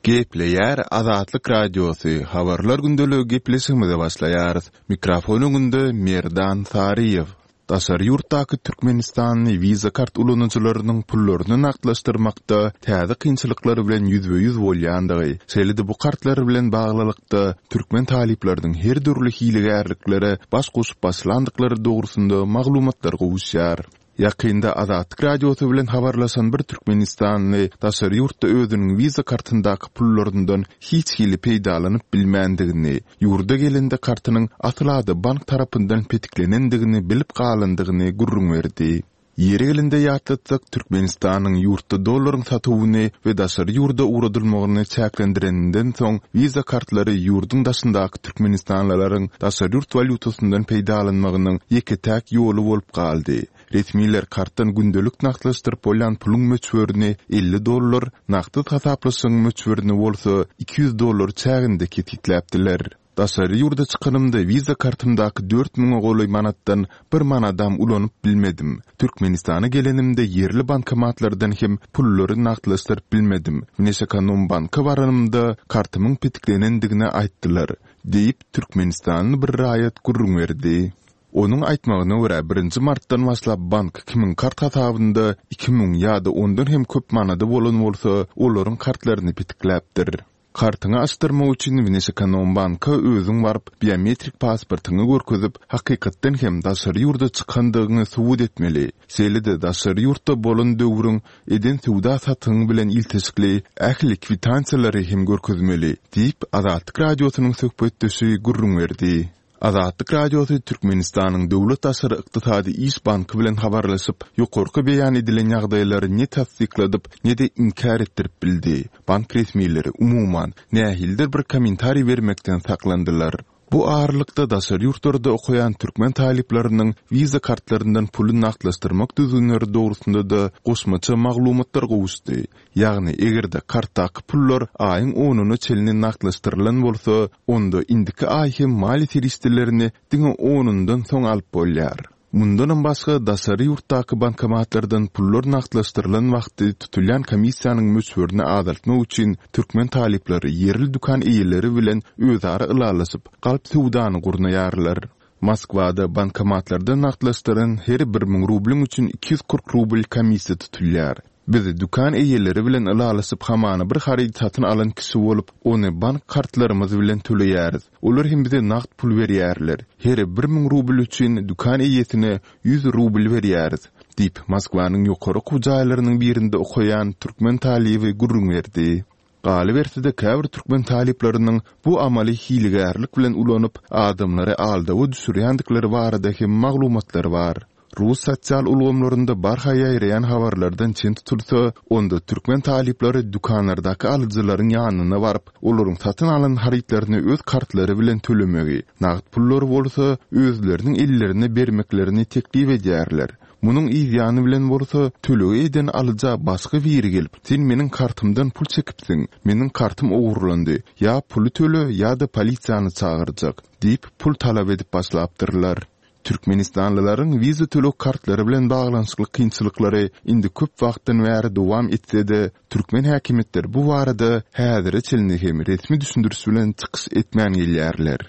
Gepleýär Azatlyk Radiosy, Habarlar gündeligi gepleşigimize başlaýarys. Mikrofon öňünde Merdan Saryýew. Daşary ýurtdaky türkmenistanly Visa kart ulanyjylarynyň pullaryny nagtlaşdyrmakda täze kynçylyklar bilen ýüzbe-ýüz bolýandygy, şeýle-de bu kartlar bilen baglylykda türkmen talyplarynyň her dürli hilegärliklere baş goşup başlandyklary dogrusynda maglumatlar gowuşýar. Ýakynda Azatlyk Radiosy bilen habarlaşan bir türkmenistanly daşary ýurtda özüniň Visa kartyndaky pullaryndan hiç hili peýdalanyp bilmändigini, ýurda gelende kartynyň asla-da bank tarapyndan petiklenendigini bilip galandygyny gürrüň berdi. Ýeri gelende ýatlatsak, Türkmenistanyň ýurtda dollaryň satuwyny we daşary ýurda ugradylmagyny çäklendireninden soň Visa kartlary ýurduň daşyndaky türkmenistanlylaryň daşary ýurt walýutasyndan peýdalanmagynyň ýeke-täk ýoly bolup galdy. Resmiler kartdan gündelik nagtlaşdyryp bolýan puluň möçberini 50 dollar, nagtsyz hasaplaşygyň möçberini bolsa 200 dollar çäginde kesgitläpdiler. Daşary ýurda çykanymda Visa kartymdaky dört müňe golaý manatdan bir manadam ulanyp bilmedim. Türkmenistana gelenimde ýerli bankomatlardan hem pullary nagtlaşdyryp bilmedim. Wneşekonombanka baranymda kartymyň petiklenendigini aýtdylar, diýip, türkmenistanly bir raýat gürrüň berdi. Onuň aýtmagyna görä, birinji martdan başlap bank kimiň kart hasabynda 2000 ýa-da ondan hem köp manady bolan bolsa, olaryň kartlaryny petikläpdir. Kartyňy açdyrmak üçin Wneşekonombanka özüň baryp, biometrik pasportyňy görkezip, hakykatdan hem daşary ýurda çykandygyňy subut etmeli. Şeýle-de daşary ýurtda bolan döwrüň eden söwda-satygyň bilen ilteşikli ähli kwitansiýalary hem görkezmeli, diýip, Azatlyk Radiosynyň söhbetdeşi gürrüň berdi. Azatlyk Radiosy Türkmenistanyň Döwlet daşary ykdysady iş banky bilen habarlaşyp, ýokarky beýan edilen ýagdaýlary ne tassykladyp, ne-de inkär etdirip bildi. Bank resmileri, umuman, nähilidir bir kommentariý bermekden saklandylar. Bu aralykda, daşary ýurtlarda okaýan türkmen talyplarynyň wiza kartlaryndan puly nagtlaşdyrmak düzgünleri dogrusynda-da goşmaça maglumatlar gowuşdy. Ýagny, eger-de kartdaky pullar aýyň onuna çenli nagtlaşdyrylan bolsa, onda indiki aý hem maliýe serişdelerini diňe onundan soň alyp bolýar. Mundanam başga, daşary ýurtdaky bankomatlardan pullar nagtlaşdyrylan wagty tutulýan komissiýanyň möçberini azaltmak üçin türkmen talyplary ýerli dükan eýeleri bilen özara ylalaşyp, galp söwdany gurnaýarlar. Moskwada bankomatlardan nagtlaşdyran her 1000 rublyň üçin 240 rubl komissiýa tutulýar. Biz dükan eýeleri bilen ylalaşyp hamana bir harydy satyn alan kişi bolup, ony bank kartlarymyz bilen töleýäris. Olar hem bize nagt pul berýärler. Her 1000 rubl üçin dükan eýesine ýüz rubl berýäris, diýip, Moskwanyň ýokary okuw jaýlarynyň birinde okaýan türkmen talyby gürrüň berdi. Galyberse-de, käbir türkmen talyplarynyň bu amaly hilegärlik bilen ulanyp, adamlary aldawa düşürýändikleri barada hem maglumatlar bar. Rus sosial ulgamlarynda barha ýaýraýan habarlardan çen tutulsa, onda türkmen talyplary dükanlardaky alyjylaryň ýanyna baryp, olaryň satyn alan harytlaryny öz kartlary bilen tölemegi, nagt pullary bolsa özleriniň ellerine bermeklerini teklip edýärler. Munuň yz ýany bilen bolsa, tölegi eden alyja başga biri gelip, Sen meniň kartymdan pul çekipsiň, meniň kartym ogurlandy, ýa puly töle ýa-da polisiýany çagyrjak diýip, pul talap edip başlapdyrlar. Türkmenistanlylaryň wiza töleg kartlary bilen baglanyşykly kynçylyklary indi köp wagtdan bäri dowam etse-de, türkmen häkimiýetleri bu barada häzire çenli hem resmi düşündiriş bilen çykyş etmän gelýärler.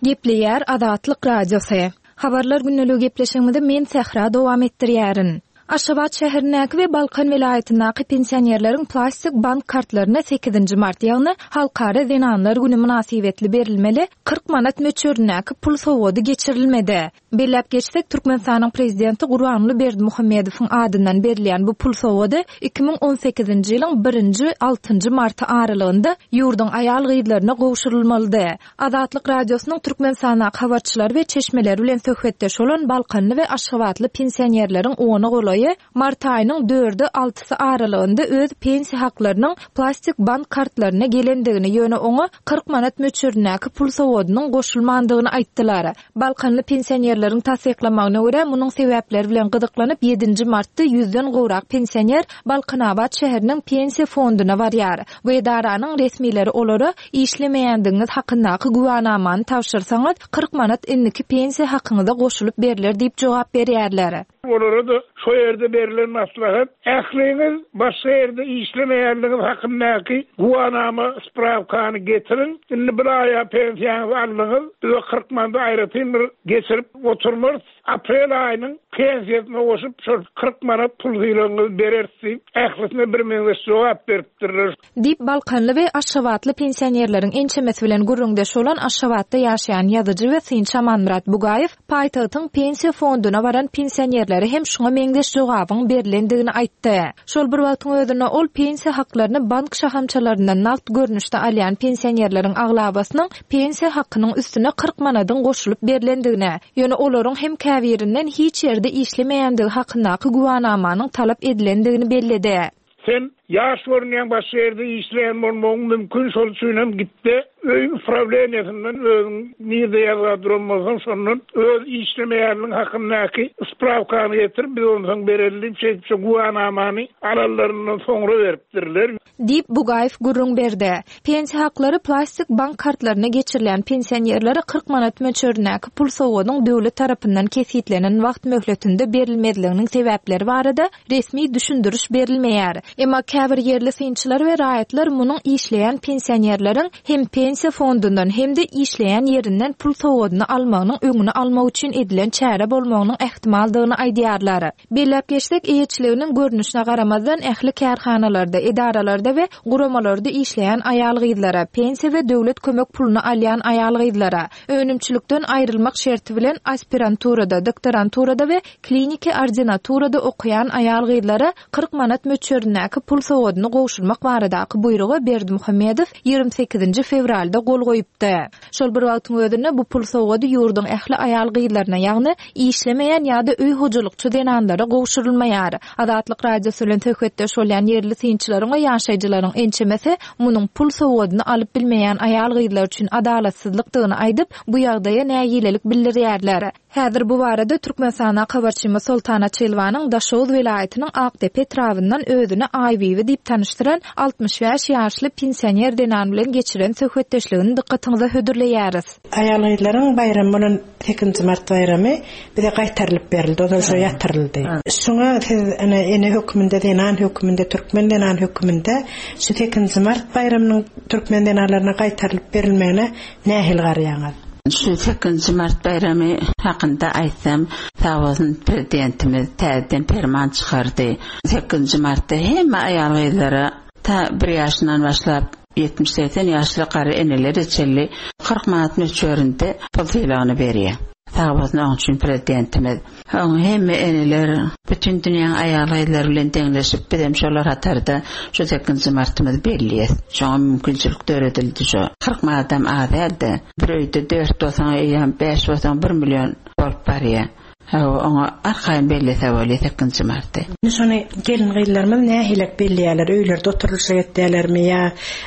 Gepleýär Azatlyk Radiosy. Habarlar gündeligi gepleşigimizi men Sähra dowam etdirýärin. Aşgabat şäherindäki we Balkan welaýatyndaky pensionerleriň plastik bank kartlaryna sekizinji mart, ýagny Halkara zenanlar güni mynasybetli berilmeli 40 manat möçberindäki pul sowgady geçirilmedi. Belläp geçsek, Türkmenistanyň Prezidenti Gurbanguly Berdimuhamedowyň adyndan berilýän bu pul sowgady 2018-nji ýylyň birinji, altynjy marty aralygynda ýurduň aýal-gyzlaryna gowşurylmalydy. Azatlyk Radiosynyň Türkmenistandaky habarçylary we çeşmeleri bilen söhbetdeş bolan balkanly we aşgabatly pensionerleriň ona golaýy mart aýynyň dördi, altysy aralygynda öz pensiýa haklarynyň plastik bank kartlaryna gelendigini, ýöne oňa 40 manat möçberindäki pul sowgadynyň goşulmandygyny aýtdylar. Balkanly pensionerleriň tassyklamagyna görä, munuň sebäpleri bilen gyzyklanyp, ýedinji martda ýüzden gowrak pensioner Balkanabat şäheriniň Pensiýa fonduna barýar. Bu edaranyň resmileri olara, Işlemeýändigiňiz hakyndaky güwänamany tabşyrsaňyz, 40 manat indiki pensiýa hakyňyza goşulyp berler diýip jogap berýärler. Olara-da şo ýerde berlen maslahat, ähliňiz başga ýerde işlemeýänligiňiz hakyndaky güwanama, sprawkany getiriň, indi bir aýa pensiýaňyzy aldyňyz, biz o 40 manady aýratyn bir geçirip oturmarys, aprel aýynyň pensiýasyna goşup şol 40 manat pul sylagyňyzy bereris diýip, ählisine birmeňzeş jogap beripdirler. Diýip, balkanly we aşgabatly pensionerleriň ençemesi bilen gürrüňdeş bolan Aşgabatda ýaşaýan ýazyjy we synçy Amanmyrat Bugaýew paýtagtyň Pensiýa fonduna baran pensionerlere hem şuňa meňzeş jogabyň berlendigini aýtdy. Şol bir wagtyň özünde ol pensiýa haklaryny bank şahamçalaryndan nagt görnüşde alýan pensionerleriň aglabasynyň pensiýa hakynyň üstüne 40 manadyň goşulyp berlendigine, ýöne olaryň hem käbirinden hiç ýerde işlemeýändigi hakyndaky güwanamanyň talap edilendigini belledi. Sen ýaş görünýäň başga ýerde işleýän bolmagyň mümkin şol üçinem gitde öý uprawleniýasyndan özüň nirde ýazga duran bolsaň şondan öz işlemeýänligiň hakyndaky sprawkany getir biz onsoň bereli diýip şeýdip şo güwanamany alanlaryndan soňra beripdirler. Diýip, Bugaýew gürrüň berdi. Pensiýa haklary plastik bank kartlaryna geçirilýän pensionerlere 40 manat möçberindäki pul sowgadyň döwlet tarapyndan kesgitlenen wagt möhletinde berilmezliginiň sebäpleri barada resmi düşündiriş berilmeýär. Emma käbir ýerli synçylar we raýatlar munuň işleýän pensionerleriň hem pensiýa fondundan, hem-de işleýän ýerinden pul sowgadyny almagynyň öňüni almak üçin edilen çäre bolmagynyň ähtimaldygyny aýdýarlar. Belläp geçsek, eýeçiliginiň görnüşine garamazdan, ähli kärhanalarda, edaralarda we guramalarda işleýän aýal-gyzlara, pensiýa we döwlet kömek puluny alýan aýal-gyzlara, önümçilikden aýrylmak şerti bilen aspiranturada, doktoranturada we kliniki ordinaturada okaýan aýal-gyzlara 40 manat möçberindäki pul sowgadyny gowşurmak baradaky buýruga Berdimuhamedow 28-nji fewralda gol goýupdy. Şol bir wagtyň özünde bu pul sowgady ýurduň ähli aýal-gyzlaryna, ýagny işlemeýän ýa-da öý hojalykçy zenanlara gowşurylmaýar. Azatlyk Radiosy bilen söhbetdeş bolýan ýerli synçylaryň we ýaşaýjylaryň ençemesi munuň pul sowgadyny alyp bilmeýän aýal-gyzlar üçin adalatsyzlykdygyny aýdyp, bu ýagdaýa nägilelik bildirýärler. Häzir bu barada Türkmenistana habarçymyz Soltan Açylowanyň Daşoguz welaýatynyň Akdepe etrabyndan özüni Aýbibi diýip tanyşdyran 65 ýaşly pensioner zenan bilen geçiren söhbetdeşligini dykgatyňyza hödürleýäris. Aýal-gyzlaryň baýramy bolan sekizinji mart baýramy bize gaýtarylyp berildi, ozal şo ýatyryldy. Şuňa siz ene ene hökmünde, zenan hökmünde, türkmen zenany hökmünde şu sekizinji mart baýramynyň türkmen zenanlaryna gaýtarylyp berilmegine nähili garaýaňyz? Şu sekizinji mart baýramy hakynda aýtsam, sag bolsun Prezidentimiz täzeden perman çykardy. Sekizinji martda hemme aýal-gyzlara ta bir ýaşyndan başlap 70-80 ýaşly garry enelere çenli 40 manat möçberinde pul sylagyny berýär. Sag bolsun oň üçin Prezidentimiz. Oň hemme eneler, bütin dünýäň aýal-gyzlary bilen deňleşip, bizem şolar hatarda şu sekizinji martymyzy belleýäs. Şoňa mümkinçilik döredildi şo. 40 manadam az däl-de. Bir öýde dört bolsaň eýýäm, bäş bolsaň bir million bolup barýar. Hawa, oňa arkaýyn bellese bolýar sekizinji marty. Indi şony gelin-gyzlarymyz nähilek belleýärler, öýlerde oturylyşyk etýärlermi ýa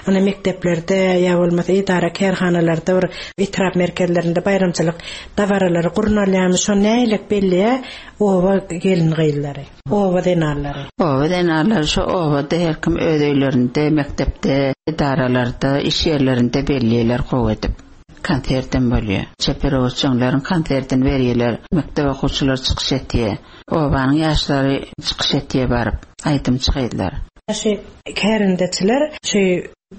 ine mekdeplerde ýa bolmasa edara-kärhanalarda bir etrap merkezlerinde baýramçylyk dabaralary gurnalýarmy, şony nähilek belleýär oba gelin-gyzlary, oba zenanlary? Oba zenanlary şo obada her kim öz öýlerinde, mekdepde, edaralarda, iş ýerlerinde belleýärler gowy edip. Konsertem bolýar. Çeper öwütjeňleriň konsertini berýärler. Mekdep okuwçylary çykyş etýär. Obanyň ýaşlary çykyş etýär baryp, aýdymçy gyzlar. Şu kärendeçiler şu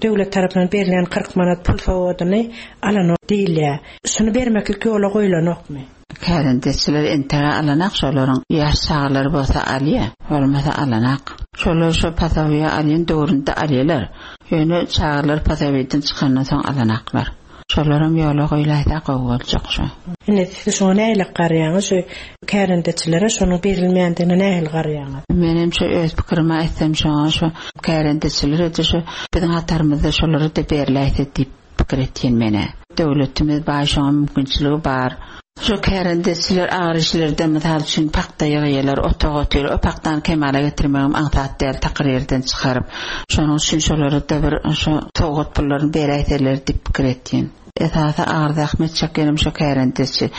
döwlet tarapyndan berilýän 40 manat pul sowgadyny alanok diýilýär. Şuny bermeklik ýola goýlanokmy? Kärendeçiler entegä alanak şolaryň ýaş çagalary bolsa alýa, bolmasa alanak. Şolar şo pasobiýa alýan döwründe alýalar. Ýöne çagalar pasobiýadan çykandan soň alanaklar. Şolaram ýola goýlaýsa gowy boljak şo. Indi siz şoňa nähili garaýaňyz şu kärendeçilere şonuň berilmeýändigine nähili garaýaňyz? Menem şo öz pikirimi aýtsam şoňa şo kärendeçilere-de şo biziň hatarymyzda şolara-da berläýse diýip pikir etýän menä. Döwletimiz baý şoňa mümkinçiligi bar. Şu kärendeçiler agyr işlerde mysal üçin pagta ýygýarlar, otag otyr. O pagtany kemala getirmegem aňsat däl takyr ýerden çykaryp. Şonuň üçin şolara-da bir şo sowgat pullaryny beräýseler diýip pikir etýän. Esasy agyr zähmet çekýänem şo kärendeçi.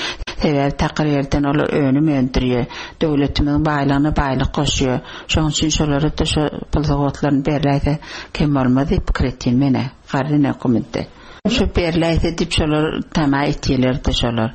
Sebäbi takyr ýerden olar önüm öndürýär. Döwletimiziň baýlygyna baýlyk goşýar. Şonuň üçin şolara-da şo pul sowgatlaryny berläýse kem bolmaz diýip pikir etýän men-ä. Garry höküminde. Şu berläýse diýip şolar tama etýelerdi şolar.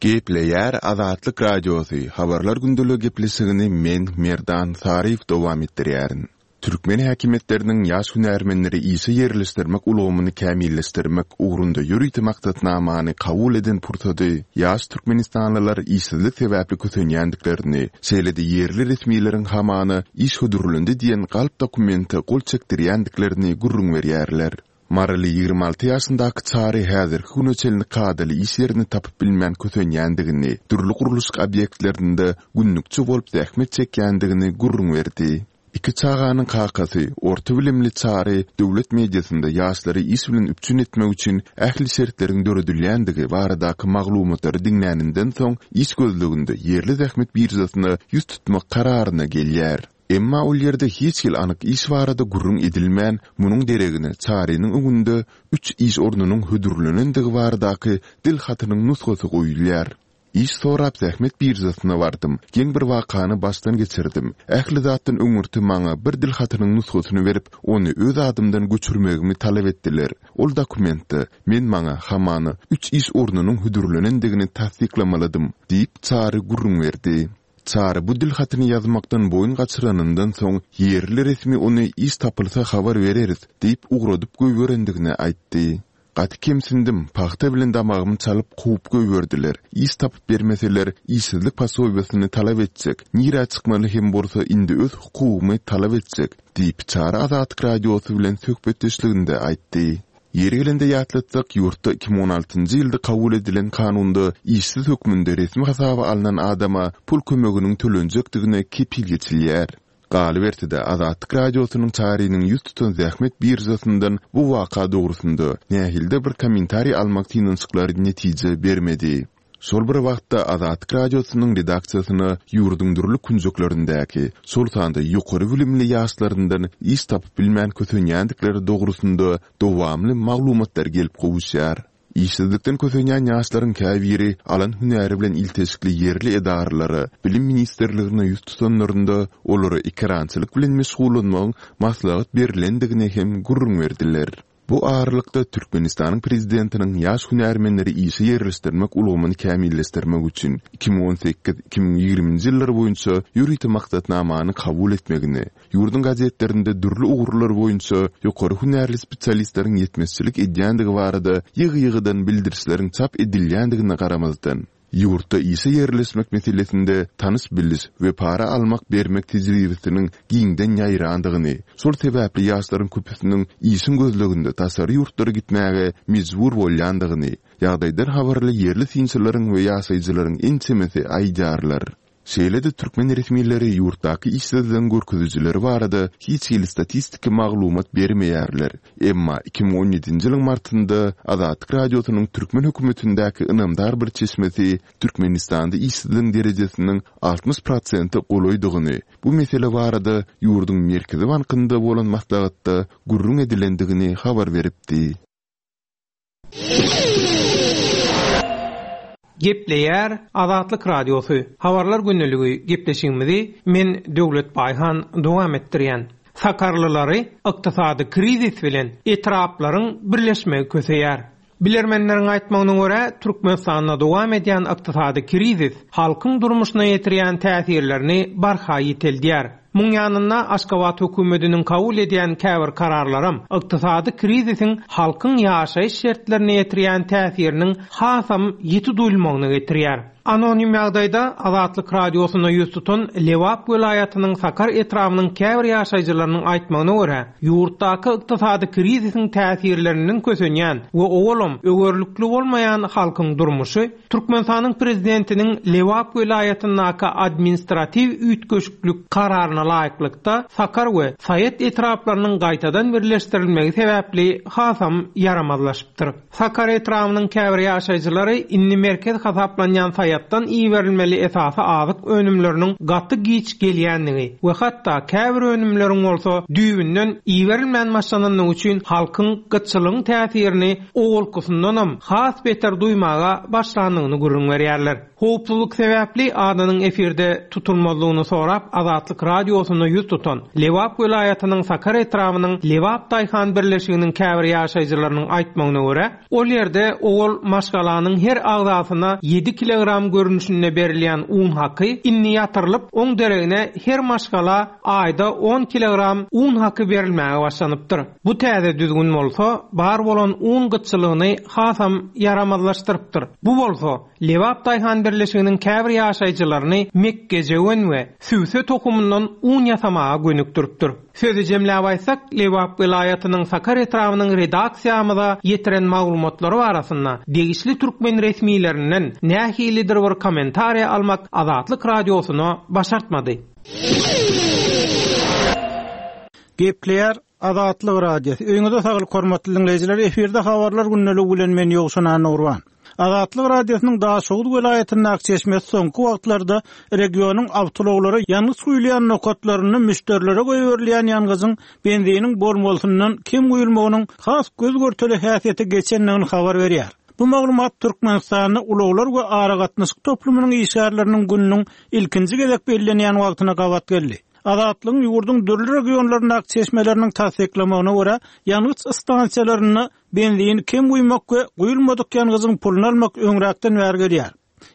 Gepleýär Azatlyk Radiosy, Habarlar gündeligi gepleşigini men, Merdan Saryýew dowam etdirýärin. Türkmen häkimiýetleriniň ýaş hünärmenleri işe ýerleşdirmek ulgamyny kämilleşdirmek ugrunda ýörite maksatnamany kabul eden pursady ýaş türkmenistanlylar işsizlik sebäpli kösenýändiklerini, şeýle-de ýerli resmileriň hamana iş hödürlendi diýen galp dokumente gol çekdirýändiklerini gürrüň berýärler. Maryly 26 ýaşyndaky Çary häzirki güne çenli kadaly iş ýerini tapyp bilmän kösenýändigini, dürli gurluşyk obýektlerinde günlükçi bolup zähmet çekýändigini gürrüň berdi. Iki çaganyň kakasy, orta bilimli Çary döwlet mediasynda ýaşlary iş bilen üpjün etmek üçin ähli şertleriň döredilýändigi baradaky maglumatlary diňläninden soň iş gözleginde ýerli zähmet biržasyna ýüz tutmak kararyna gelýär. Emma ol ýerde hiç hili anyk iş barada gürrüň edilmän, munuň deregine Çarynyň öňünde üç iş ornunyň hödürlenendigi baradaky dil hatynyň nusgasy goýulýar. Iş sorap zähmet biržasyna bardym. Geň bir wakany başdan geçirdim. Ähli zatdan öňürti maňa bir dil hatynyň nusgasyny berip, ony öz adymdan göçürmegimi talap etdiler. Ol dokumentde men maňa, hamana, üç iş ornunyň hödürlenendigini tassyklamalydym, diýip, Çary gürrüň berdi. Çary bu dil hatyny ýazmakdan boýun gaçyranyndan soň, ýerli resmi ony iş tapylsa habar bereris diýip ugradyp goýberendigini aýtdy. Gaty kemsindim, pagta bilen damagymy çalyp kowup goýberdiler. Iş tapyp bermeseler, işsizlik posobiýasyny talap etjek, nirä çykmaly hem bolsa indi öz hukugymy talap etjek, diýip, Çary Azatlyk Radiosy bilen söhbetdeşliginde aýtdy. Ýeri gelende ýatlatsak, ýurtda 2016 njy ýylda kabul edilen kanunda işsiz hökmünde resmi hasaba alnan adama pul kömeginiň tölenjekdigine kepil geçilýär. Galyberse-de, Azatlyk Radiosynyň Çarynyň ýüz tutan zähmet biržasyndan bu waka dogrusynda nähilidir bir kommentariý almak synanyşyklary netije bermedi. Şol bir wagtda, Azatlyk Radiosynyň redaksiýasyna ýurduň dürli künjeklerindäki, şol sanda ýokary bilimli ýaşlaryndan iş tapyp bilmän kösenýändikleri dogrusynda dowamly maglumatlar gelip gowuşýar. Işsizlikden kösenýän ýaşlaryň käbiri alan hünäri bilen ilteşikli ýerli edaralara, Bilim ministrligine ýüz tutanlarynda, olara ekerançylyk bilen meşgullanmagyň maslahat berlendigini hem gürrüň berdiler. Bu aralykda, Türkmenistanyň Prezidentiniň ýaş hünärmenleri işe ýerleşdirmek ulgamyny kämilleşdirmek üçin 2018, 2020-nji ýyllar boýunça ýörite maksatnamany kabul etmegini, ýurduň gazetlerinde dürli ugurlar boýunça ýokary hünärli spesialistleriň ýetmezçilik edýändigi barada ýygy-ýygydan bildirişleriň çap edilýändigine garamazdan, Ýurtda işe ýerleşmek meselesinde tanyş-biliş we para almak-bermek tejribesiniň giňden ýaýrandygyny, şol sebäpli ýaşlaryň köpüsiniň işiň gözleginde daşary ýurtlara gitmäge mejbur bolýandygyny, ýagdaýdan habarly ýerli synçylaryň we ýaşaýjylaryň ençemesi aýdýarlar. Şeýle-de türkmen resmileri ýurtdaky işsizligiň görkezijileri barada hiç hili statistiki maglumat bermeýärler. Emma 2017-nji ýylyň martynda Azatlyk Radiosynyň türkmen hökümetindäki ynamdar bir çeşmesi Türkmenistanda işsizligiň derejesiniň 60 prosente golaýdygyny, bu mesele barada ýurduň Merkezi bankynda bolan maslahatda gürrüň edilendigini habar beripdi. Gepleýär Azatlyk Radiosy, Habarlar gündeligi gepleşigimizi men Döwlet Baýhan dowam etdirýän. Sakarlylary ykdysady krizis bilen etraplaryň birleşmegi köseýär. Bilermenleriň aýtmagyna görä, Türkmenistanda dowam edýän ykdysady krizis halkyň durmuşyna ýetirýän täsirlerini barha ýiteldýär. Muň ýanynda Aşgabat hökümetiniň kabul edýän käbir kararlaram ykdysady krizisiň halkyň ýaşaýyş şertlerine ýetirýän täsiriniň hasam ýiti duýulmagyna getirýär. Anonim ýagdaýda Azatlyk Radiosyna ýüz tutan Lebap welaýatynyň Sakar etrabynyň käbir ýaşaýjylarynyň aýtmagyna görä, ýurtdaky ykdysady krizisiň täsirlerinden kösenýän we owalam öwerlikli bolmaýan halkyň durmuşy Türkmenistanyň Prezidentiniň Lebap welaýatyndaky administratiw üýtgeşiklik Kararyna laýyklykda, Sakar we Saýat etraplarynyň gaýtadan birleşdirilmegi sebäpli hasam ýaramazlaşypdyr. Sakar etrabynyň käbir ýaşaýjylary indi merkez hasaplanýan Saýat. welaýatdan iberilmeli esasy azyk önümleriniň gaty giç gelýändigi we hatda käbir önümleriň bolsa düýbünden iberilmän başlanandygy üçin halkyň gytçylygyň täsirini owalkysyndanam has beter duýmaga başlandygyny gürrüň berýärler. Howpsuzlyk sebäpli adynyň efirde tutulmazlygyny sorap Azatlyk Radiosyna ýüz tutan Lebap welaýatynyň Sakar etrabynyň Lebap daýhan birleşiginiň käbir ýaşaýjylarynyň aýtmagyna görä, ol ýerde owal maşgalanyň her agzasyna ýedi kilogram görnüşinde berilýän un haky indi ýatyrylyp, oň deregine her maşgala aýda on kilogram un haky berilmäge başlanypdyr. Bu täze düzgün bolsa bar bolan un gytçylygyny hasam ýaramazlaşdyrypdyr. Bu bolsa, Lebap daýhan birleşiginiň käbir ýaşaýjylaryny mekgejöwen we sübse tohumyndan un ýasamaga gönükdiripdir. Sözi jemläp aýtsak, Lebap welaýatynyň Sakar etrabynyň redaksiýamyza ýetiren maglumatlary barasynda degişli türkmen resmilerinden nähilidir bir kommentariýa almak Azatlyk Radiosyna başartmady. Gepleýär Azatlyk Radiosy, Öýüňize saglyk hormatly diňleýjiler, efirde habarlar gündeligi bilen men Ýowşan Annagurban. Azatlyk Radiosynyň Daşoguz welaýatyndaky çeşmesi soňky wagtlarda regionyň awtoulaglara ýangyç guýulýan nokatlarynda müşderilere goýberilýän ýangyjyň benziniň bolmalysyndan kem guýulmagynyň has göz-görtele häsiýete geçendigini habar berýär. Bu maglumat Türkmenistanda ulaglar we aragatnaşyk toplumynyň işgärleriniň gününiň ilkinji gezek bellenýän wagtyna gabat geldi. Azatlygyň ýurduň dürli regionlaryndaky çeşmeleriniň tassyklamagyna görä, ýangyç stansiýalarynda benzini kem guýmak we guýulmadyk ýangyjyň puluny almak öňräkden bäri gelýär.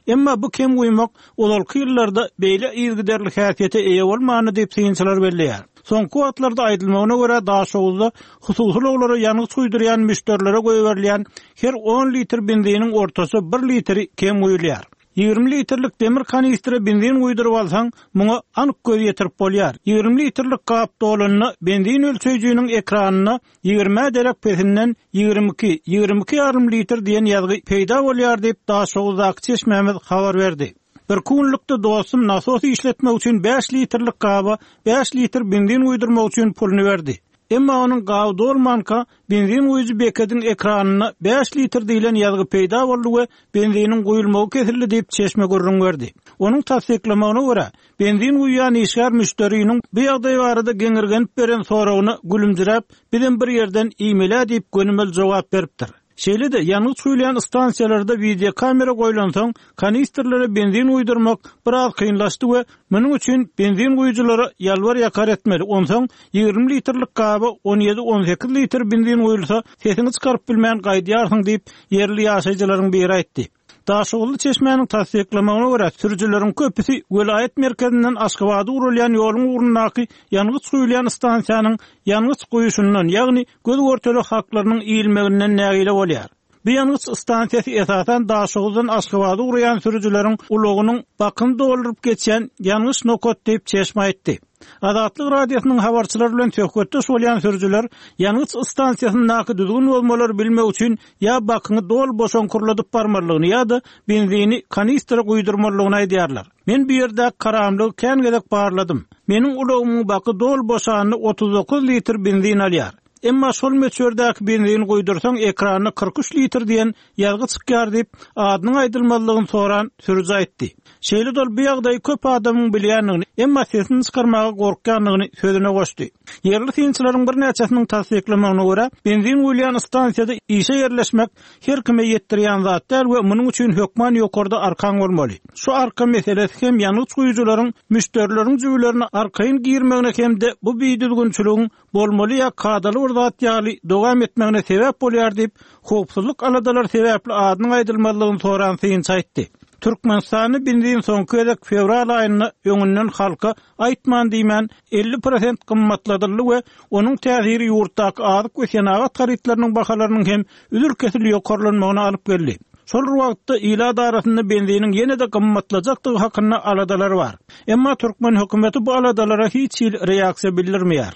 Emma bu kem guýmak ozalky ýyllarda beýle yzygiderli häsiýete eýe bolmandy diýip, synçylar belleýär. Soňky wagtlarda aýdylmagyna görä, Daşoguzda hususy ulaglara ýangyç guýdurýan müşderilere goýberilýän her on litr benziniň ortaça bir litri kem guýulýar. 20 litrlik demir kanistre benzin guýduryp alsaň, muňa anyk göz ýetirip bolýar. 20 litrlik gap dolanda, benzin ölçeýjiniň ekranynda ýigrimä derek pesinden 22, 22 ýarym litr diýen ýazgy peýda bolýar diýip, Daşoguzdaky çeşmämiz habar berdi. Birki günlükde dostum nasos işletmek üçin bäş litrlik gaba bäş litr benzin guýdurmak üçin puluny berdi. Emma onuň gaby dolmanka, benzin guýujy bekediň ekranynda bäş litr diýlen ýazgy peýda boldy we benziniň guýulmagy kesildi diýip, çeşme gürrüň berdi. Onuň tassyklamagyna görä, benzin guýýan işgär müşderiniň bu ýagdaý barada geňirgenip beren soragyna gülümjiräp, bizem bir ýerden iýmel-ä diýip gönümel jogap beripdir. Şeýle-de, ýangyç guýulýan stansiýalarda wideokamera goýlansoň, kanistrlere benzin guýdurmak biraz kynlaşdy we munuň üçin benzin guýujylara ýalbar-ýakar etmeli, onsoň 20 litrlik gaba on ýedi-on sekiz litr benzin guýulsa, sesiňi çykaryp bilmän gaýdýarsyň diýip, ýerli ýaşaýjylaryň biri aýtdy. Daşoguzly çeşmäniň tassyklamagyna görä, sürüjileriň köpüsi welaýat merkezinden Aşgabada ugralýan ýoluň ugrundaky ýangyç guýulýan stansiýanyň ýangyç guýuşyndan, ýagny göz-görtele haklarynyň iýilmeginden nägile bolýar. Bu ýangyç stansiýasy esasan Daşoguzdan Aşgabada ugraýan sürüjileriň ulagynyň bakyny dolduryp geçýän ýangyç nokat diýip, çeşme aýtdy. Azatlyk Radiosynyň habarçylary bilen söhbetdeş bolýan sürüjiler ýangyç stansiýasyndaky düzgün bozmalary bilmek üçin ýa bakyňy doly boşaňkyrladyp barmalydygyny ýa-da benzini kanistra guýdurmalydygyny aýdýarlar. Men bu ýerdäki karamlygy kän gezek barladym. Meniň ulagymyň baky doly boşanyna 39 litr benzin alýar. Emma şol möçberdäki benzini guýdursaň ekranda 43 litr diýen ýazgy çykýar diýip, adynyň aýdylmazlygyny soran sürüji aýtdy. Şeýle-de ol bu ýagdaýy köp adamyň bilýändigini, emma sesini çykarmaga gorkýandygyny sözüne goşdy. Ýerli synçylaryň birnäçesiniň tassyklamagyna görä, benzin guýulýan stansiýada işe ýerleşmek her kime ýetdirýän zat däl we munuň üçin hökman ýokarda arkaň bolmaly. Şu arka meselesi hem ýangyç guýujylaryň müşderileriň jübülerine arkaýyn girmegine hem-de bu bidüzgünçiligiň bolmaly ýa kadaly bir zat ýaly dowam etmegine sebäp bolýar diýip, howpsuzlyk aladalary sebäpli adynyň aýdylmazlygyny soran synçy aýtdy. Türkmenistanda benzin soňky gezek fewral aýynda öňünden halka aýtman-diýmän 50 prosent gymmatladyldy we onuň täsiri ýurtdaky azyk we senagat harytlarynyň bahalarynyň hem üzül-kesil ýokarlanmagyna alyp geldi. Şol bir wagtda, ilat arasynda benziniň ýene-de gymmatlajakdygy hakynda aladalar bar. Emma türkmen hökümeti bu aladalara hiç hili reaksiýa bildirmeýär.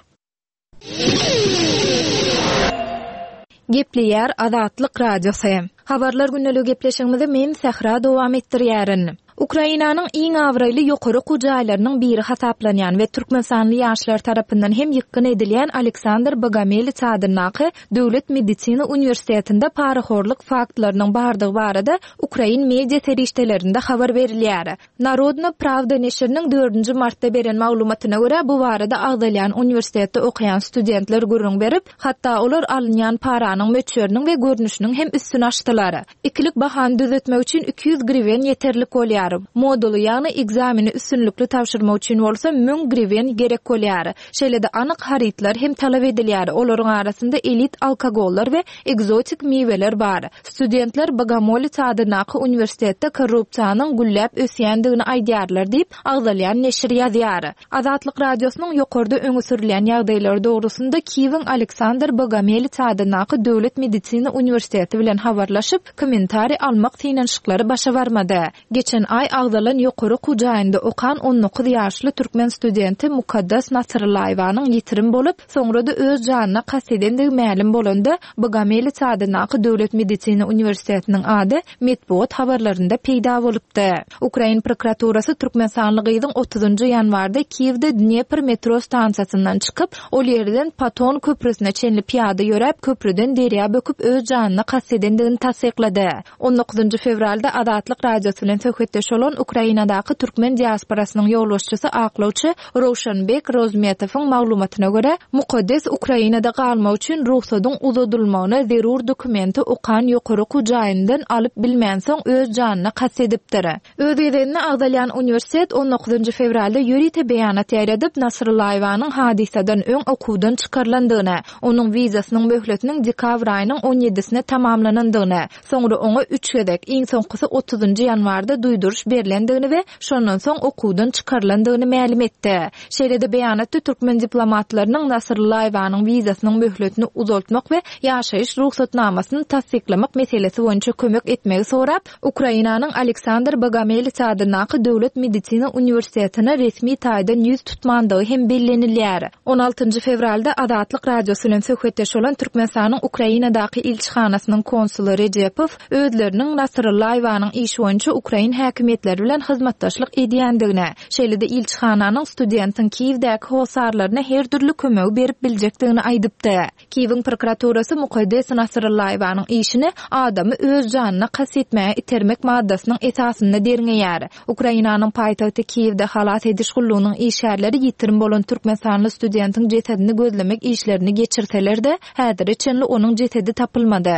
Gepleýär Azatlyk Radiosy. Habarlar gündeligi gepleşigimizi men Sähra dowam etdirýärin. Ukrainanyň iň abraýly ýokary okuw jaýlarynyň biri hasaplanýan we türkmenistanly ýaşlar tarapyndan hem ýykgyn edilýän Aleksandr Bogomelits adyndaky Döwlet medisina uniwersitetinde parahorluk faktlarynyň bardygy barada ukrain media serişdelerinde habar berilýär. Narodna prawda neşiriniň dördünji martda beren maglumatyna görä, bu barada agzalýan uniwersitetde okaýan studentler gürrüň berip, hatda olar alynýan paranyň möçberiniň we görnüşiniň hem üstüni açdylar. Ikilik bahany düzetmek üçin 200 griwen ýeterlik bolýar. Moduly, ýagny ekzameni üstünlikli tabşyrmak üçin bolsa 1000 griwen gerek bolýar. Şeýle-de anyk harytlar hem talap edilýär, olaryň arasynda elit alkogollar we ekzotik miweler bar. Studentler Bogomolets adyndaky uniwersitetde korrupsiýanyň gülläp ösýändigini aýdýarlar diýip, agzalýan neşir ýazýar. Azatlyk Radiosynyň ýokarda öňe sürülýän ýagdaýlar dogrusynda Kiýewiň Aleksandr Bogomelits adyndaky Döwlet medisina uniwersiteti bilen habarlaşyp, kommentariý almak synanyşyklary başa barmady. Geçen aý agzalan ýokary okuw jaýynda okan 19 ýaşly türkmen studenti Mukaddas Nasryllaýewanyň ýitirim bolup, soňra-da öz janyna kast edendigi mälim bolanda, Bogomelits adyndaky Döwlet medisina uniwersitetiniň ady metbugat habarlarynda peýda bolupdy. Ukrain prokuraturasy türkmenistanly gyzyň otuzynjy ýanwarda Kiýewde Dnepr metro stansiýasyndan çykyp, ol ýerden Paton köprüsine çenli pyýada ýöräp, köprüden derýa böküp öz janyna kast edendigini tassyklady. On dokuzynjy fewralda Azatlyk Radiosy bilen söhbetdeş bolan Ukrainadaky türkmen diasporasynyň ýolbaşçysy aklawçy Rowşanbek Rozmetowyň maglumatyna görä, Mukaddes Ukrainada galmak üçin rugsadyň uzadylmagyna zerur dokumenti okan ýokary okuw jaýyndan alyp bilmänsoň öz janyna kast edipdir. Öz gezeginde agzalýan uniwersitet on dokuzynjy fewralda ýörite beýanat ýaýradyp, Nasrullaýewanyň hadysadan öň okuwdan çykarylandygyny, onuň wizasynyň möhletiniň dekabr aýynyň on ýedisine tamamlanandygyny, Soňra oňa üç gezek, iň soňkusy otuzynjy ýanwarda duýduryş berlendigini we şondan soň okuwdan çykarylandygyny mälim etdi. Şeýle-de beýanatda türkmen diplomatlarynyň Nasrullaýewanyň wizasynyň möhletini uzaltmak we ýaşaýyş rugsatnamasyny tassyklamak meselesi boýunça kömek etmegi sorap, Ukrainanyň Aleksandr Bogomelits adyndaky Döwlet medisina uniwersitetine resmi taýdan ýüz tutmandygy hem bellenilýär. On altynjy fewralda Azatlyk Radiosy bilen söhbetdeş bolan Türkmenistanyň Ukrainadaky ilçihanasynyň konsuly Rejepow özleriniň Nasryllaýewanyň işi boýunça ukrain häkimiýetleri bilen hyzmatdaşlyk edýändigini, şeýle-de ilçihananyň studentiň Kiýewdäki hossarlaryna her dürli kömegi berip biljekdigini aýdypdy. Kiýewiň prokuraturasy Mukaddes Nasryllaýewanyň işini adamy öz janyna kast etmäge itermek maddasynyň esasynda derňeýär. Ukrainanyň paýtagty Kiýewde halas ediş gullugynyň işgärleri ýitirim bolan türkmenistanly studentiň jesedini gözlemek işlerini geçirseler-de, häzire çenli onuň jesedi tapylmady.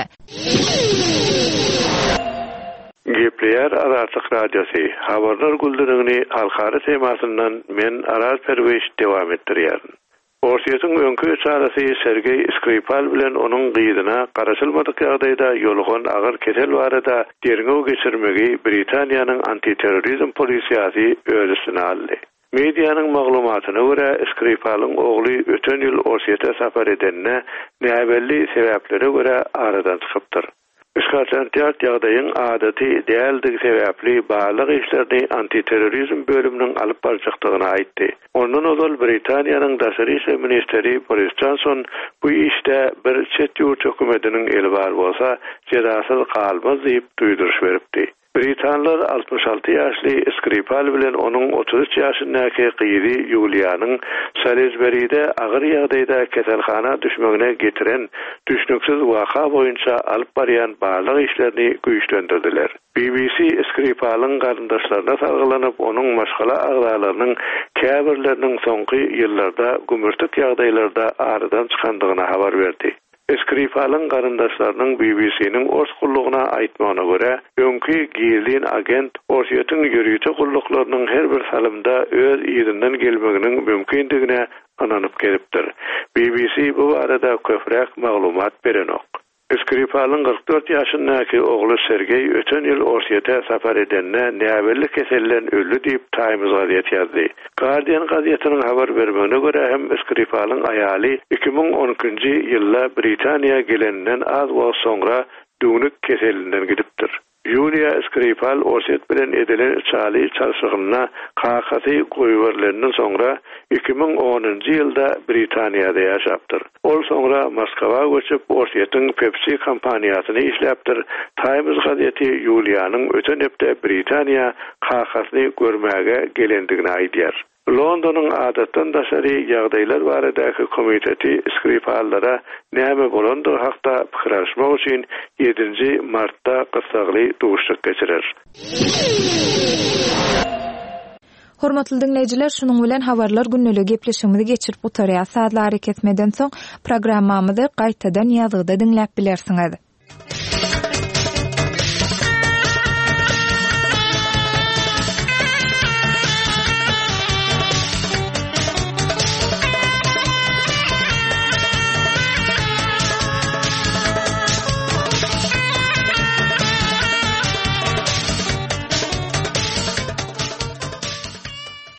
Gepleýär Azatlyk Radiosy, Habarlar güldürigini halkara temasyndan men Araz Perwiş dowam etdirýärin. Orsýetiň öňki içalasy Sergeý Skripal bilen onuň gyzyna garaşylmadyk ýagdaýda ýolugan agyr kesel barada derňew geçirmegi Britaniýanyň antiterrorizm polisiýasy öz üstüne aldy. Medianyň maglumatyna görä, Skripalyň ogly öten ýyl Orsýete sapar edende näbelli sebäplere görä aradan çykypdyr. Skotland Ýard ýagdaýyň adaty däldigi sebäpli barlag işlerini antiterrorizm bölüminiň alyp barjakdygyny aýtdy. Ondan ozal Britaniýanyň daşary işler ministri Boris Jonson bu işde bir çet ýurt hökümetiniň eli bar bolsa, jezasyz galmaz diýip duýduryş beripdi. Britanlar 66 ýaşly Skripal bilen onuň 33 ýaşyndaky gyzy Ýuliýanyň Salisberide agyr ýagdaýda keselhana düşmegine getiren düşnüksiz waka boýunça alyp barýan barlag işlerini güýçlendirdiler. BBC Skripalyň garyndaşlaryna salgylanyp, onuň maşgala agzalarynyň käbirleriniň soňky ýyllarda gümürtik ýagdaýlarda aradan çykandygyny habar berdi. Skripalyň garyndaşlarynyň BBC-niň ors gullugyna aýtmagyna görä, öňki gizlin agent Orsýetiň ýörite gulluklarynyň her bir salymda öz yzyndan gelmeginiň mümkindigine ynanyp gezipdir. BBC bu barada köpräk maglumat berenok. Skripalyň 44 ýaşyndaky ogly Sergeý öten ýyl Orsýete sapar edende näbelli keselden öldi diýip, Times gazeti ýazdy. Guardian gazetiniň habar bermegine görä hem Skripalyň aýaly 2012-nji ýylda Britaniýa geleninden az wagt soňra düwnük keselinden gidipdir. Ýuliýa Skripal Orsýet bilen edilen içaly çalşygynda kakasy goýberilenden soňra. 2010-njy ýylda Britaniýada ýaşapdyr. Ol soňra Moskwa göçüp, Orsýetiň Pepsi kompaniýasyny işläpdir. Times gazeti Ýuliýanyň öten hepde Britaniýa kakasyny görmäge gelendigini aýdýar. Londonyň adatdan daşary ýagdaýlar baradaky komiteti Skripallara näme bolandygy hakda pikir alyşmak üçin ýedinji martda gyssagly duşuşyk geçirer. Hormatly diňleýjiler, şunuň bilen Habarlar gündeligi gepleşigimizi geçirip gutarýas. Sazly arakesmeden soň programmamyzy gaýtadan ýazgyda diňläp bilersiňiz.